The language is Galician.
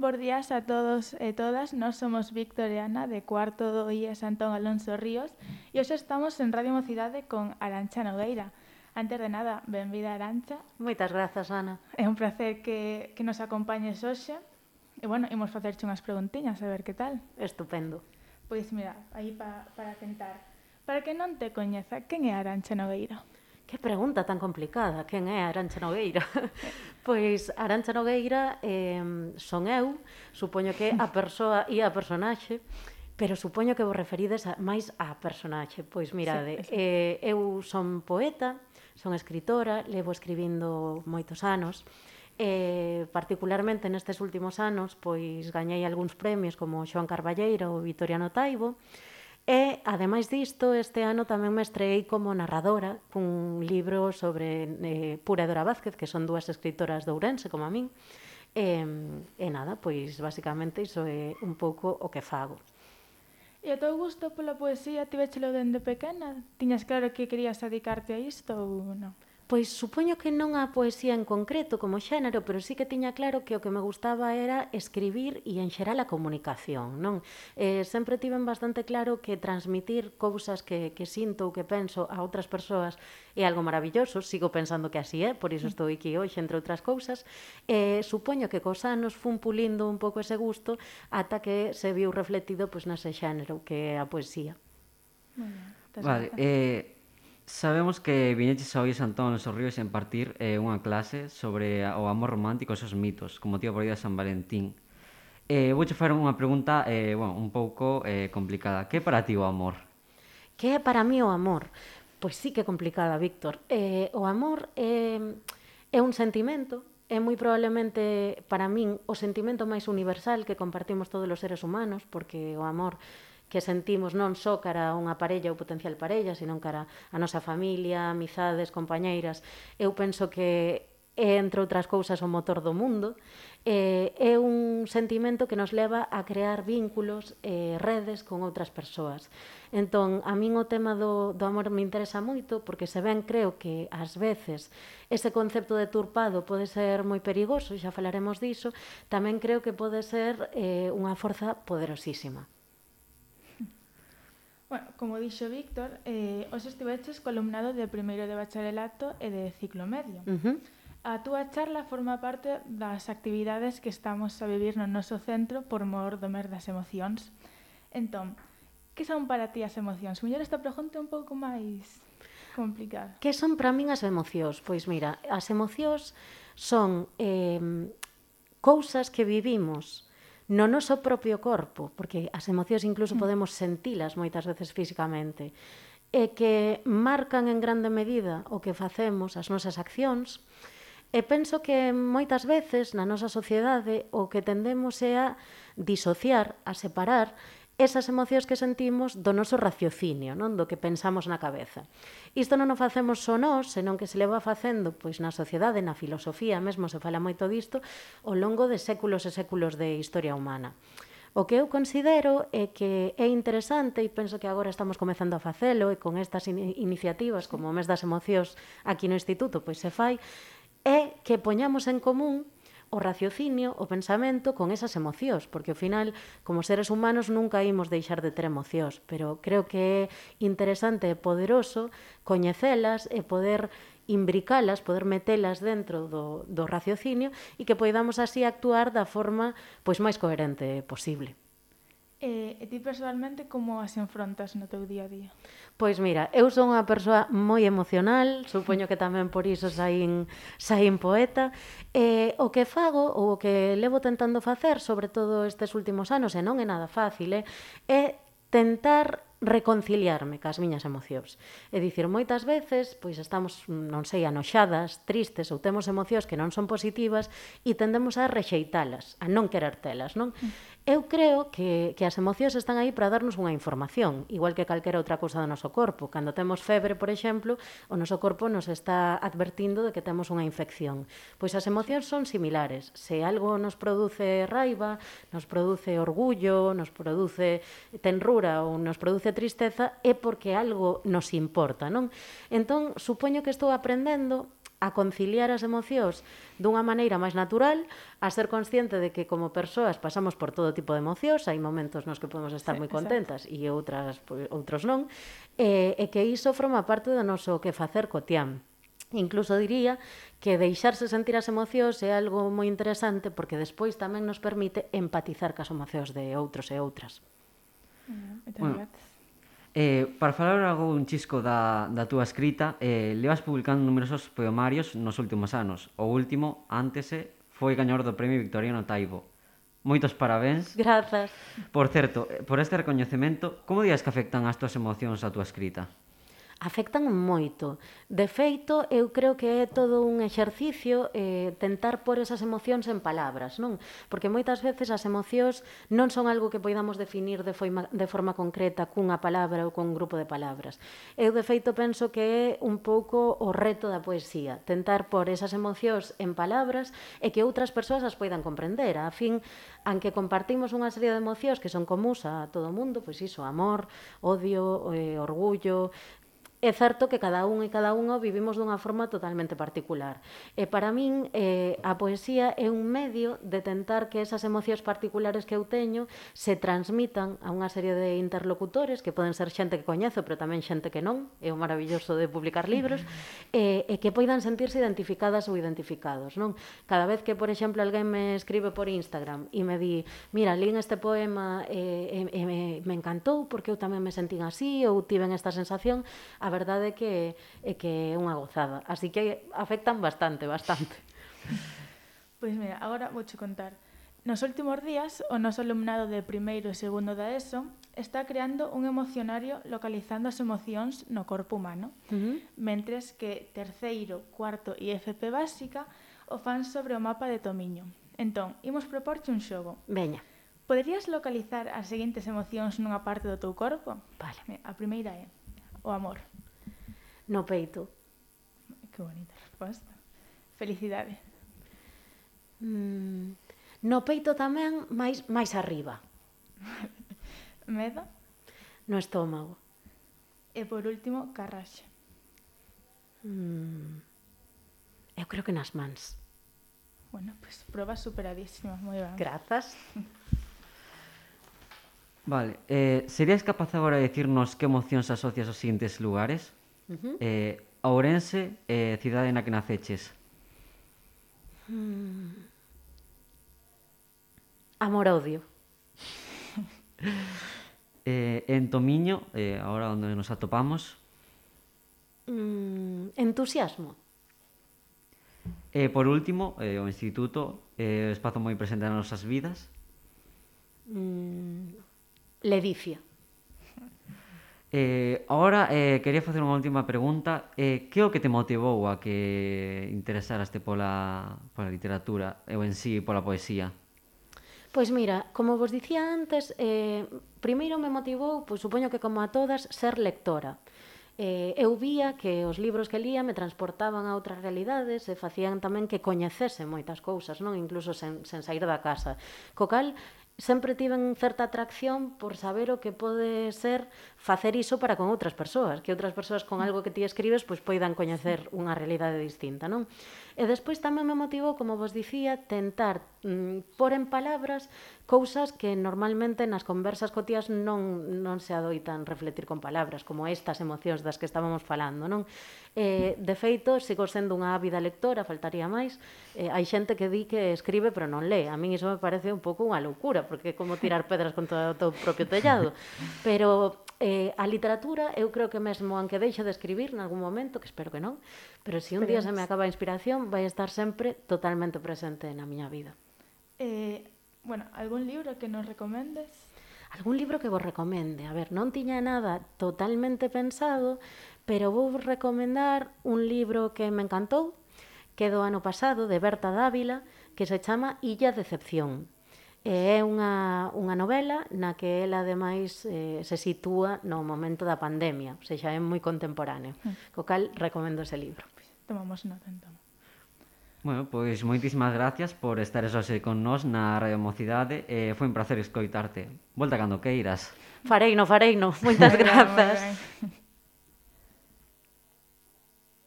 bos días a todos e todas. Nós somos Víctor e Ana, de cuarto do IES Antón Alonso Ríos, e hoxe estamos en Radio Mocidade con Arantxa Nogueira. Antes de nada, benvida Arantxa. Moitas grazas, Ana. É un placer que nos acompañes hoxe. E, bueno, imos facerche unhas preguntiñas, a ver que tal. Estupendo. Pois, mira, aí para tentar. Para que non te coñeza, quen é Arantxa Nogueira? Que pregunta tan complicada. Quen é Arantxa Nogueira? Pois Arantxa Nogueira son eu, supoño que a persoa e a personaxe, pero supoño que vos referides máis á personaxe. Pois mirade, eu son poeta, son escritora, levo escribindo moitos anos, particularmente nestes últimos anos pois gañei algúns premios como Xoán Carballeira ou Vitoriano Taibo. E, ademais disto, este ano tamén me estreei como narradora cun libro sobre Pura e Dora Vázquez, que son dúas escritoras de Ourense, como a min. E nada, pois, basicamente, iso é un pouco o que fago. E o teu gusto pola poesía tivéchelo dende pequena? Tiñas claro que querías dedicarte a isto ou non? Pois supoño que non a poesía en concreto como xénero, pero sí que tiña claro que o que me gustaba era escribir e en xeral a comunicación, non? Sempre tiven bastante claro que transmitir cousas que sinto ou que penso a outras persoas é algo maravilloso, sigo pensando que así é, por iso estou aquí hoxe, entre outras cousas. Supoño que cos anos fun pulindo un pouco ese gusto ata que se viu refletido pois, nese xénero que é a poesía. Vale, sabemos que viñeches ao IES Antón Alonso Ríos en partir unha clase sobre o amor romántico e os seus mitos, con motivo por día de San Valentín. Vouche facer unha pregunta un pouco complicada. Que é para ti o amor? Que é para mí o amor? Pois sí que é complicada, Víctor. O amor é un sentimento, é moi probablemente para min o sentimento máis universal que compartimos todos os seres humanos, porque o amor que sentimos non só cara a unha parella ou potencial parella, senón cara a nosa familia, amizades, compañeiras. Eu penso que é, entre outras cousas, o motor do mundo. É un sentimento que nos leva a crear vínculos e redes con outras persoas. Entón, a min o tema do amor me interesa moito, porque se ben creo que, ás veces, ese concepto deturpado pode ser moi perigoso, xa falaremos diso, tamén creo que pode ser unha forza poderosísima. Bueno, como dixo Víctor, hoxe estiveches columnado de primeiro de bacharelato e de ciclo medio. A túa charla forma parte das actividades que estamos a vivir no noso centro por mor do mes das emocións. Entón, que son para ti as emocións? Mellor esta pregunta é un pouco máis complicada. Que son para min as emocións? Pois mira, as emocións son cousas que vivimos no noso propio corpo, porque as emocións incluso podemos sentilas moitas veces físicamente, e que marcan en grande medida o que facemos, as nosas accións, e penso que moitas veces na nosa sociedade o que tendemos é a disociar, a separar esas emocións que sentimos do noso raciocinio, non? Do que pensamos na cabeza. Isto non o facemos só nós, senón que se leva facendo pois, na sociedade, na filosofía, mesmo se fala moito disto, ao longo de séculos e séculos de historia humana. O que eu considero é que é interesante, e penso que agora estamos comezando a facelo, e con estas iniciativas, como o mes das emocións aquí no Instituto, pois se fai, é que poñamos en común o raciocinio, o pensamento con esas emocións, porque ao final, como seres humanos, nunca imos deixar de ter emocións, pero creo que é interesante e poderoso coñecelas e poder imbricalas, poder metelas dentro do raciocinio e que poidamos así actuar da forma pois máis coherente posible. E ti personalmente como as enfrontas no teu día a día? Pois mira, eu son unha persoa moi emocional, supoño que tamén por iso saín poeta, e o que fago, ou o que levo tentando facer, sobre todo estes últimos anos, e non é nada fácil, é tentar reconciliarme cas miñas emocións. É dicir, moitas veces, pois estamos, non sei, anoxadas, tristes, ou temos emocións que non son positivas e tendemos a rexeitalas, a non querer telas, non? Eu creo que as emocións están aí para darnos unha información, igual que calquera outra cousa do noso corpo. Cando temos febre, por exemplo, o noso corpo nos está advertindo de que temos unha infección. Pois as emocións son similares. Se algo nos produce raiva, nos produce orgullo, nos produce tenrura ou nos produce tristeza, é porque algo nos importa, non? Entón, supoño que estou aprendendo a conciliar as emocións dunha maneira máis natural, a ser consciente de que como persoas pasamos por todo tipo de emocións, hai momentos nos que podemos estar moi contentas e outros non, e que iso forma parte do noso que facer cotián. Incluso diría que deixarse sentir as emocións é algo moi interesante porque despois tamén nos permite empatizar cas emocións de outros e outras. Bueno, para falar algo un chisco da túa escrita, levas publicando numerosos poemarios nos últimos anos. O último, Ántese, foi gañador do Premio Victoriano Taibo. Moitos parabéns. Grazas. Por certo, por este recoñecemento, como dirías que afectan as túas emocións a túa escrita? Afectan moito. De feito, eu creo que é todo un exercicio tentar pôr esas emocións en palabras, non? Porque moitas veces as emocións non son algo que poidamos definir de forma concreta cunha palabra ou cun grupo de palabras. Eu, de feito, penso que é un pouco o reto da poesía, tentar pôr esas emocións en palabras e que outras persoas as poidan comprender. A fin, aunque compartimos unha serie de emocións que son comúns a todo o mundo, pois iso, amor, odio, orgullo. É certo que cada un e cada unha vivimos dunha forma totalmente particular. E para min a poesía é un medio de tentar que esas emocións particulares que eu teño se transmitan a unha serie de interlocutores que poden ser xente que coñezo, pero tamén xente que non, é o maravilloso de publicar libros, e que poidan sentirse identificadas ou identificados, non? Cada vez que, por exemplo, alguén me escribe por Instagram e me di, mira, lín este poema e me encantou porque eu tamén me sentín así ou tiven esta sensación, a verdade é que é unha gozada. Así que afectan bastante. Pois mira, agora vouche contar. Nos últimos días, o noso alumnado de primeiro e segundo da ESO está creando un emocionario localizando as emocións no corpo humano, mentres que terceiro, cuarto e FP básica o fan sobre o mapa de Tomiño. Entón, imos proporche un xogo. Veña. Poderías localizar as seguintes emocións nunha parte do teu corpo? Vale. A primeira é o amor. No peito. Que bonita resposta. Felicidade. No peito tamén, máis arriba. Medo. No estómago. E por último, carraxe. Eu creo que nas mans. Bueno, pues proba superadísima, moi ben. Grazas. Vale, serías capaz agora de dicirnos que emocións asocias aos seguintes lugares? Ourense, cidade na que naceches. Amor-odio. En Tomiño, agora onde nos atopamos. Entusiasmo. Por último, o instituto, espazo moi presente nas nosas vidas. Ledicia. Agora, quería facer unha última pregunta. Que é o que te motivou a que interesaraste pola literatura ou en sí pola poesía? Pois mira, como vos dicía antes, primeiro me motivou, pois supoño que como a todas, ser lectora. Eu vía que os libros que lía me transportaban a outras realidades e facían tamén que coñecese moitas cousas, non, incluso sen sair da casa. Co cal, sempre tiven certa atracción por saber o que pode ser facer iso para con outras persoas, que outras persoas con algo que ti escribes pois poidan coñecer unha realidade distinta, non? E despois tamén me motivou, como vos dicía, tentar pôr en palabras cousas que normalmente nas conversas cotiás non se adoitan refletir con palabras, como estas emocións das que estábamos falando, non? De feito, sigo sendo unha ávida lectora, faltaría máis. Hai xente que di que escribe pero non lee. A min iso me parece un pouco unha loucura, porque é como tirar pedras contra o teu propio tellado. Pero a literatura, eu creo que mesmo, aunque deixe de escribir nalgún momento, que espero que non, pero se un día se me acaba a inspiración, vai estar sempre totalmente presente na miña vida. Bueno, algún libro que nos recomendes? Algún libro que vos recomende? A ver, non tiña nada totalmente pensado, pero vou recomendar un libro que me encantou, que é do ano pasado, de Berta Dávila, que se chama Illa Decepción. É unha novela na que ela, ademais, se sitúa no momento da pandemia, ou seja, é moi contemporáneo. Co cal, recomendo ese libro. Tomamos nota, entón. Bueno, pois moitísimas gracias por estares hoxe con nós na Radio Mocidade. Foi un placer escoitarte. Volta cando queiras. Fareino. Moitas grazas.